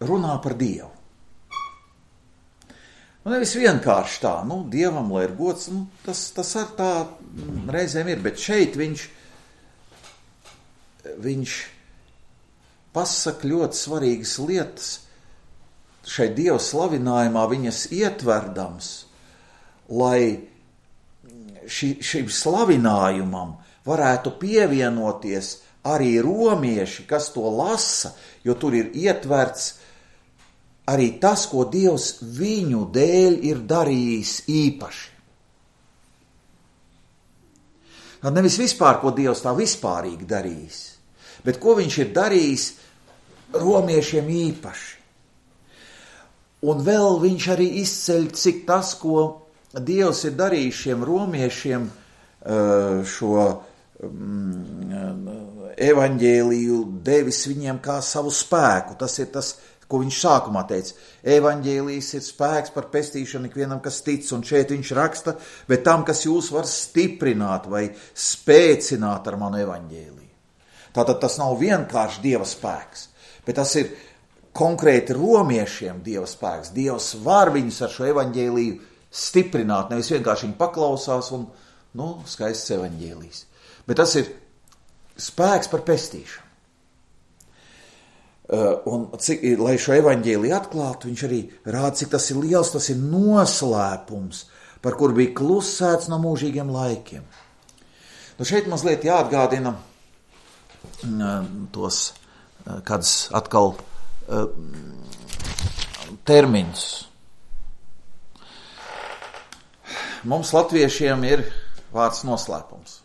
runā par Dievu. Nevis vienkārši tā, Dievam, lai ir gods, tas ar tā reizēm ir, bet šeit viņš pasaka ļoti svarīgas lietas, šai Dieva slavinājumā viņas ietverdams, lai šim slavinājumam varētu pievienoties arī romieši, kas to lasa, jo tur ir ietverts arī tas, ko Dievs viņu dēļ ir darījis īpaši. Tad nevis vispār, ko Dievs tā vispārīgi darījis, bet ko viņš ir darījis romiešiem īpaši. Un vēl viņš arī izceļ, cik tas, ko Dievs ir darījis šiem romiešiem, šo evaņģēliju devis viņiem kā savu spēku. Tas ir tas, ko viņš sākumā teica. Evaņģēlijs ir spēks par pestīšanu ikvienam, kas tic, un šeit viņš raksta, bet tam, kas jūs var stiprināt vai spēcināt ar manu evaņģēliju. Tātad tas nav vienkārši Dieva spēks, bet tas ir konkrēti romiešiem Dieva spēks. Dievs var viņus ar šo evaņģēliju stiprināt, nevis vienkārši viņi paklausās un, skaists evaņģēlijs. Bet tas ir spēks par pestīšanu. Un lai šo evaņģēliju atklātu, viņš arī rāda, cik tas ir liels, tas ir noslēpums, par kuru bija klusēts no mūžīgiem laikiem. Šeit mazliet jāatgādina tos kāds atkal termiņus. Mums latviešiem ir vārds noslēpums.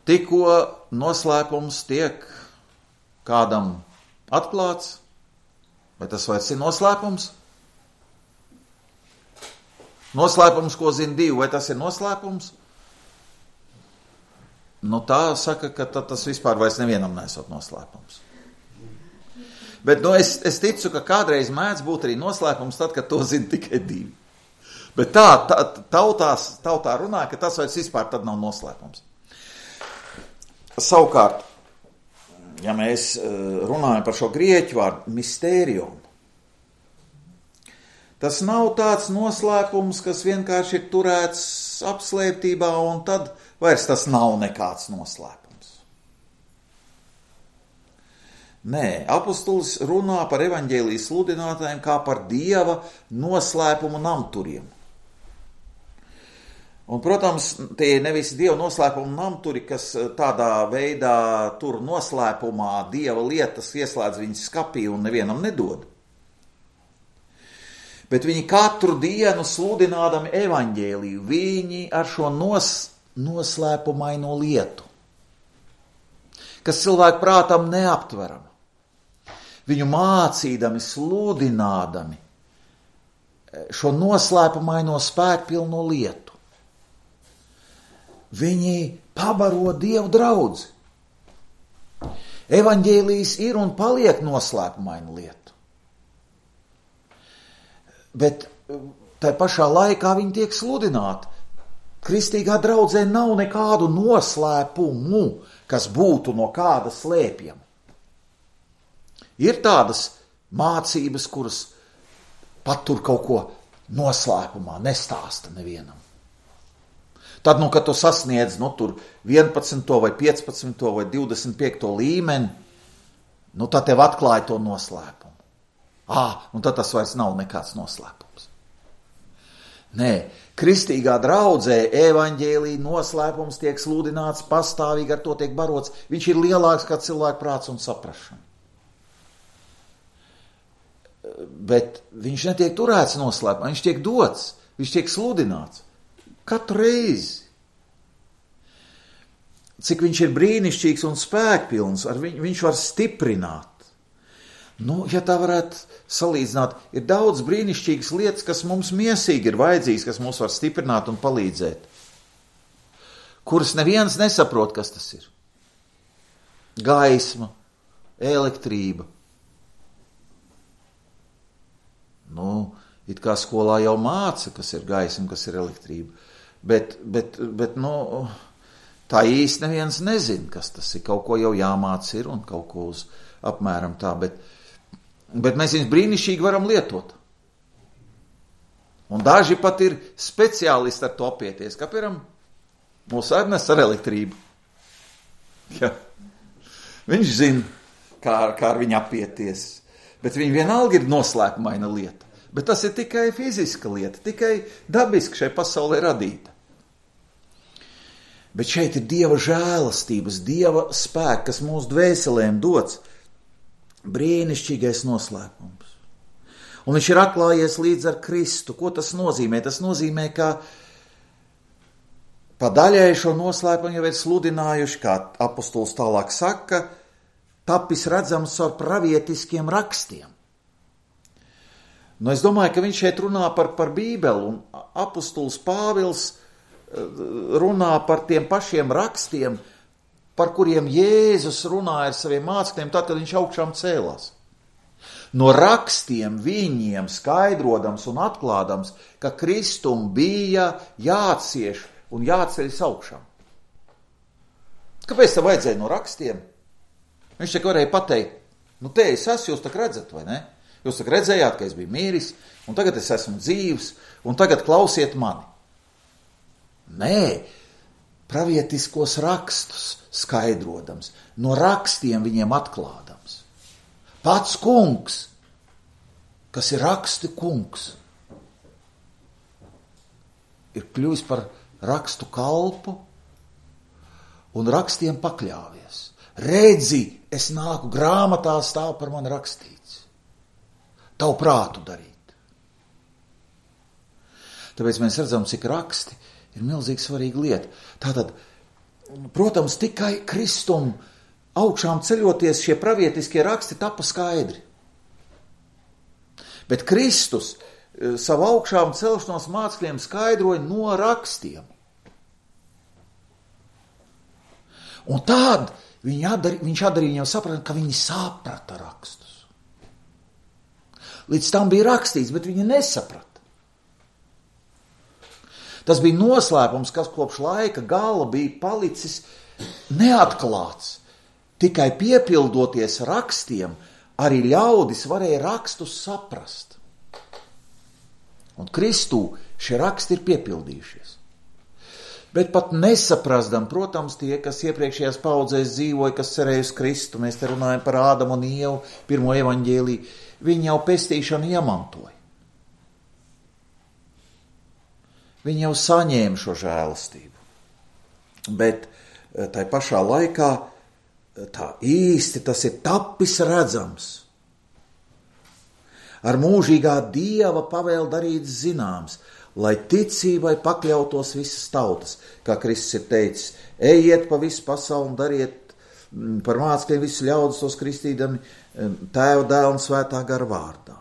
tikko noslēpums tiek kādam atklāts, vai tas vairs ir noslēpums? Noslēpums, ko zina divi, vai tas ir noslēpums? Nu tā saka, ka tas vispār vairs nevienam nesot noslēpums. Bet es ticu, ka kādreiz mēdz būt arī noslēpums tad, kad to zina tikai divi. Bet tautā runā, ka tas vairs vispār tad nav noslēpums. Savukārt, ja mēs runājam par šo grieķu vārdu mistērium, tas nav tāds noslēpums, kas vienkārši ir turēts apslēptībā, un tad vairs tas nav nekāds noslēpums. Nē, apostolis runā par evaņģēlijas sludinātājiem kā par Dieva noslēpumu namturiem. Un, protams, tie nevis Dieva noslēpumu namturi, kas tādā veidā tur noslēpumā Dieva lietas ieslēdz viņas skapī un nevienam nedod. Bet viņi katru dienu sludinādami evaņģēliju, viņi ar šo noslēpumaino lietu, kas cilvēku prātam neaptverama, viņu mācīdami, sludinādami šo noslēpumaino spēkpilno lietu, viņi pabaro Dievu draudzi. Evaņģēlijs ir un paliek noslēpumaina lieta. Bet tai pašā laikā viņi tiek sludināti. Kristīgā draudzē nav nekādu noslēpumu, kas būtu no kāda slēpjama. Ir tādas mācības, kuras patur kaut ko noslēpumā, nestāsta nevienam. Tad, kad tu sasniedz, tur 11. vai 15. vai 25. līmeni, tad tev atklāja to noslēpumu. Un tad tas vairs nav nekāds noslēpums. Nē, kristīgā draudzē evaņģēlija noslēpums tiek sludināts pastāvīgi, ar to tiek barots. Viņš ir lielāks kā cilvēku prāts un saprašana. Bet viņš netiek turēts noslēpumā, viņš tiek dots, viņš tiek sludināts. Katru reizi. Cik viņš ir brīnišķīgs un spēkpilns, viņš var stiprināt. Ja tā varētu salīdzināt, ir daudz brīnišķīgas lietas, kas mums miesīgi ir vajadzīgas, kas mums var stiprināt un palīdzēt, kuras neviens nesaprot, kas tas ir. Gaisma, elektrība. It kā skolā jau māca, kas ir gaisma, kas ir elektrība, bet tā īsti neviens nezin, kas tas ir. Kaut ko jau jāmāca ir un kaut ko uz apmēram tā, bet mēs viņus brīnišķīgi varam lietot. Un daži pat ir speciālisti ar to apieties. Kā piemēram, mūsu Ernsts ar elektrību. Ja. Viņš zina, kā ar viņu apieties. Bet viņi vienalga ir noslēpumaina lieta. Bet tas ir tikai fiziska lieta, tikai dabiski šai pasaulē radīta. Bet šeit ir Dieva žēlastības, Dieva spēks, kas mūsu dvēselēm dots. Brīnišķīgais noslēpums. Un viņš ir atklājies līdz ar Kristu. Ko tas nozīmē? Tas nozīmē, ka pa daļai šo noslēpumu jau ir sludinājuši, kā apostols tālāk saka, tapis redzams ar pravietiskiem rakstiem. Es domāju, ka viņš šeit runā par Bībeli, un apostols Pāvils runā par tiem pašiem rakstiem, par kuriem Jēzus runāja ar saviem mācekļiem, tad, kad viņš augšām cēlās. No rakstiem viņiem skaidrodams un atklādams, ka Kristum bija jācieš un jāceļas augšām. Kāpēc tam vajadzēja no rakstiem? Viņš tā varēja pateikt, te es esmu, jūs tak redzat, vai ne? Jūs tak redzējāt, ka es biju mīris, un tagad es esmu dzīvs, un tagad klausiet mani. Nē, pravietiskos rakstus skaidrodams, no rakstiem viņiem atklādams. Pats kungs, kas ir rakstu kungs, ir kļuvis par rakstu kalpu un rakstiem pakļāvies. Redzi, es nāku, grāmatā stāv par mani rakstīts. Tavu prātu darīt. Tāpēc mēs redzam, cik raksti ir milzīgi svarīga lieta. Tātad protams, tikai Kristum augšām ceļoties šie pravietiskie raksti tapa skaidri. Bet Kristus savu augšām celšanos mācekļiem skaidroja no rakstiem. Un tad viņš atdarīja viņiem saprast, ka viņi saprata rakstus. Līdz tam bija rakstīts, bet viņi nesaprata. Tas bija noslēpums, kas kopš laika gala bija palicis neatklāts. Tikai piepildoties rakstiem, arī ļaudis varēja rakstus saprast. Un Kristū šie raksti ir piepildījušies. Bet pat nesaprastam, protams, tie, kas iepriekšējās paudzēs dzīvoja, kas cerēja uz Kristu, mēs te runājam par Ādamu un Ievu, pirmo evaņģēliju, viņi jau pestīšanu iemantoja. Viņi jau saņēma šo žēlastību. Bet tai pašā laikā tā īsti tas ir tapis redzams. Ar mūžīgā Dieva pavēli darīts zināms, lai ticībai pakļautos visas tautas, kā Kristus ir teicis, ejiet pa visu pasauli un dariet par mācekļiem visu ļaudis tos kristīdami Tēva, Dēla un Svētā gara vārdā.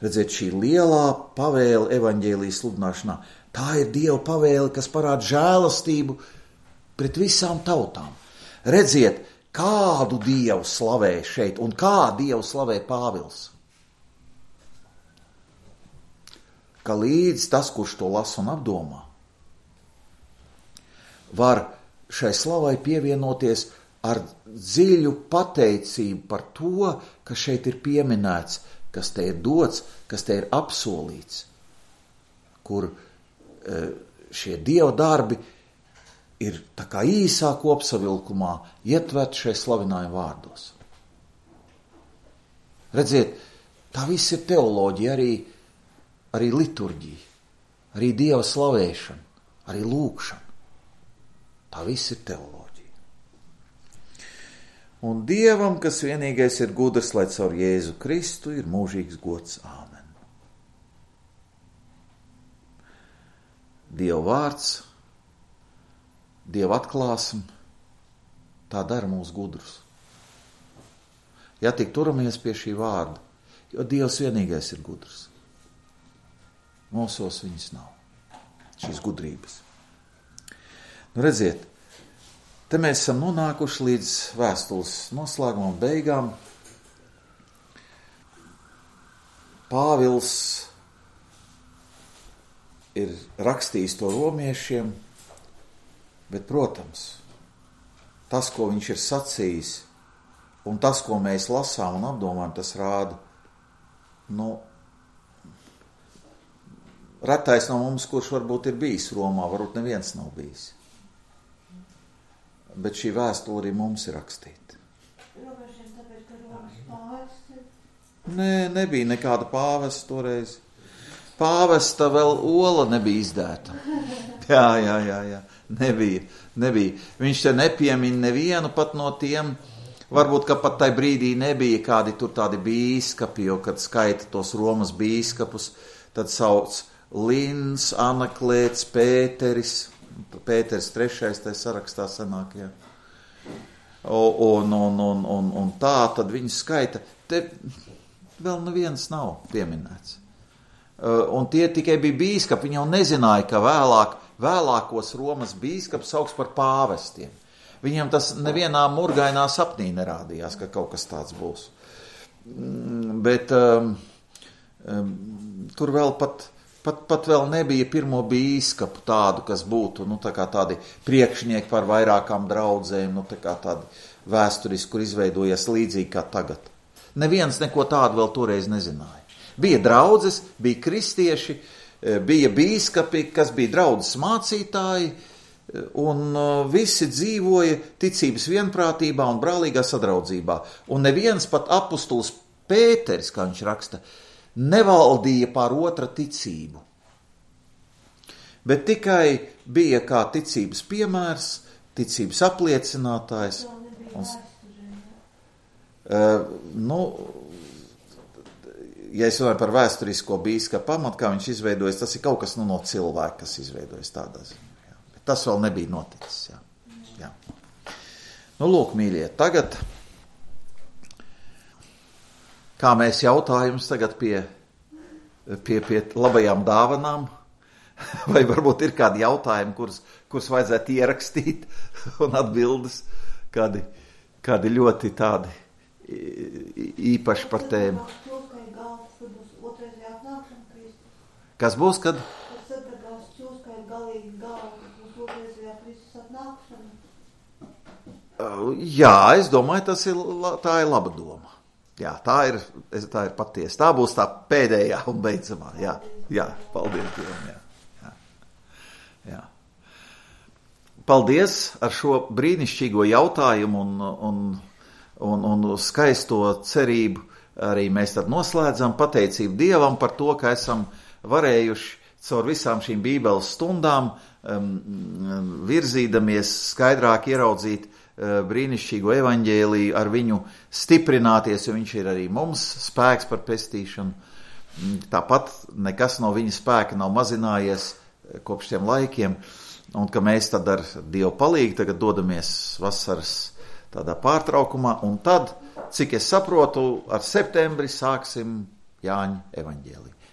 Redziet, šī lielā pavēle evaņģēlijas sludināšanā, tā ir Dieva pavēle, kas parāda žēlastību pret visām tautām. Redziet, kādu Dievu slavē šeit un kā Dievu slavē Pāvils. Ka līdz tas, kurš to lasa un apdomā, var šai slavai pievienoties ar dziļu pateicību par to, kas šeit ir pieminēts, kas te ir dots, kas te ir apsolīts, kur šie Dieva darbi ir tā kā īsā kopsavilkumā ietvert šai slavinājuma vārdos. Redziet, tā viss ir teoloģija, arī liturģija, arī Dieva slavēšana, arī lūkšana. Tā viss ir teoloģija. Un Dievam, kas vienīgais ir gudrs, lai caur Jēzu Kristu ir mūžīgs gods. Āmen. Dieva vārds, Dieva atklāsme, tā dara mūs gudrus. Ja tik turamies pie šī vārda, jo Dievs vienīgais ir gudrs. Mūsos viņas nav, šīs gudrības. Nu redziet, te mēs esam nonākuši līdz vēstules noslēguma un beigām. Pāvils ir rakstījis to romiešiem, bet, protams, tas, ko viņš ir sacījis, un tas, ko mēs lasām un apdomājam, tas rāda, retais no mums, kurš varbūt ir bijis Romā, varbūt neviens nav bijis. Bet šī vēstule arī mums ir rakstīta. Romiešiem tāpēc, ka Romas pāvests ir? Nē, nebija nekāda pāvesta toreiz. Pāvesta vēl ola nebija izdēta. Jā. Nebija. Viņš te nepiemin nevienu pat no tiem, varbūt, ka pat tai brīdī nebija kādi tur tādi bīskapi, jo, kad skaita tos Romas bīskapus, tad sauc Lins, Anaklēts, Pēteris III, tai sarakstā sanāk, jā. Un tā, tad viņi skaita. Te vēl neviens nav pieminēts. Un tie tikai bija bīskapi, viņi jau nezināja, ka vēlākos Romas bīskapi sauks par pāvestiem. Viņam tas nevienā murgainā sapnī nerādījās, ka kaut kas tāds būs. Bet tur vēl pat vēl nebija pirmo bīskapu tādu, kas būtu, tā kā tādi priekšnieki par vairākām draudzēm, tā kā tādi vēsturiski, kur izveidojies līdzīgi kā tagad. Neviens neko tādu vēl toreiz nezināja. Bija draudzes, bija kristieši, bija bīskapi, kas bija draudzes mācītāji, un visi dzīvoja ticības vienprātībā un brālīgā sadraudzībā. Un neviens pat apustulis Pēteris, kā viņš raksta, nevaldīja pār otra ticību. Bet tikai bija kā ticības piemērs, ticības apliecinātājs. Ja es runāju par vēsturisko bīskapu pamatu, kā viņš izveidojas, tas ir kaut kas no cilvēka, kas izveidojas tādā ziņā. Tas vēl nebija noticis. Jā. Nu, lūk, mīļie, tagad, kā mēs jautājums tagad pie labajām dāvanām, vai varbūt ir kādi jautājumi, kurus vajadzētu ierakstīt, un atbildes, kādi ļoti tādi īpaši par tēmu. Kas būs, kad? Jā, es domāju, tā ir laba doma. Jā, tā ir patiesa. Tā būs tā pēdējā un beidzamā. Jā, paldies Dievam. Jā. Paldies ar šo brīnišķīgo jautājumu un skaisto cerību. Arī mēs tad noslēdzam pateicību Dievam par to, ka esam varējuši caur visām šīm Bībeles stundām virzīdamies skaidrāk ieraudzīt brīnišķīgo evaņģēliju, ar viņu stiprināties, jo viņš ir arī mums spēks par pestīšanu. Tāpat nekas no viņa spēka nav mazinājies kopš tiem laikiem, un ka mēs tad ar Dievu palīgu tagad dodamies vasaras tādā pārtraukumā, un tad, cik es saprotu, ar septembri sāksim Jāņa evaņģēliju.